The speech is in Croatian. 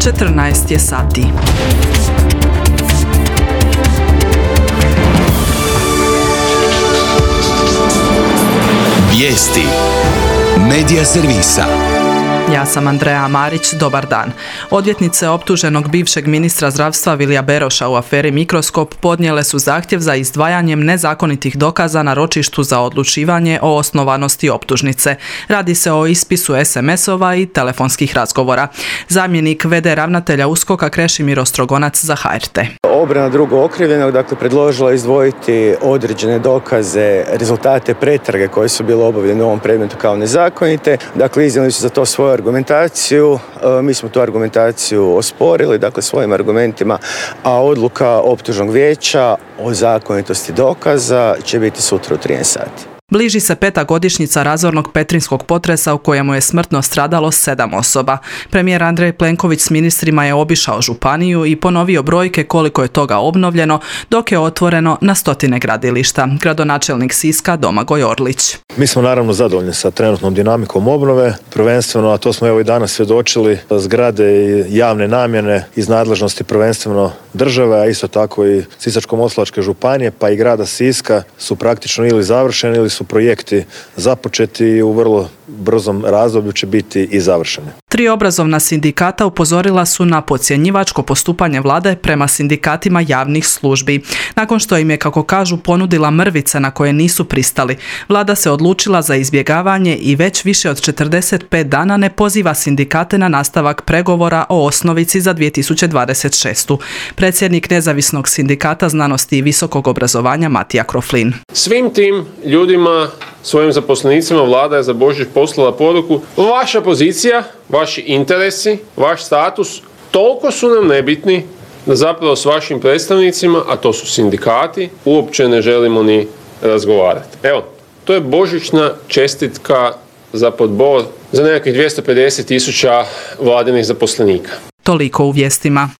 14 je sati. Vijesti Medija servisa. Ja sam Andreja Marić, dobar dan. Odvjetnice optuženog bivšeg ministra zdravstva Vilija Beroša u aferi Mikroskop podnijele su zahtjev za izdvajanjem nezakonitih dokaza na ročištu za odlučivanje o osnovanosti optužnice. Radi se o ispisu SMS-ova i telefonskih razgovora. Zamjenik v.d. ravnatelja USKOK-a Krešimir Ostrogonac za HRT. Obrana drugog okrivljenog predložila izdvojiti određene dokaze, rezultate pretrage koje su bile obavljene u ovom predmetu kao nezakonite. Iznijeli su za to svoju argumentaciju, mi smo tu argumentaciju osporili, svojim argumentima, a odluka optužnog vijeća o zakonitosti dokaza će biti sutra u 13 sati. Bliži se 5. godišnjica razornog petrinjskog potresa u kojemu je smrtno stradalo 7 osoba. Premijer Andrej Plenković s ministrima je obišao županiju i ponovio brojke koliko je toga obnovljeno, dok je otvoreno na stotine gradilišta. Gradonačelnik Siska Domagoj Orlić. Mi smo naravno zadovoljni sa trenutnom dinamikom obnove, prvenstveno, a to smo evo i danas svjedočili, zgrade i javne namjene iz nadležnosti prvenstveno države, a isto tako i Sisačko-moslavačke županije, pa i grada Siska su praktično ili završeni ili su projekti započeti i u vrlo brzom razdoblju će biti i završeni. 3 obrazovna sindikata upozorila su na podcjenjivačko postupanje vlade prema sindikatima javnih službi. Nakon što im je, kako kažu, ponudila mrvice na koje nisu pristali, vlada se odlučila za izbjegavanje i već više od 45 dana ne poziva sindikate na nastavak pregovora o osnovici za 2026. Predsjednik Nezavisnog sindikata znanosti i visokog obrazovanja Matija Kroflin. Svim tim ljudima, svojim zaposlenicima, vlada je za Božić poslala poruku: vaša pozicija, vaši interesi, vaš status toliko su nam nebitni da zapravo s vašim predstavnicima, a to su sindikati, uopće ne želimo ni razgovarati. Evo, to je božićna čestitka za podbor za nekakvih 250.000 vladinih zaposlenika. Toliko u vijestima.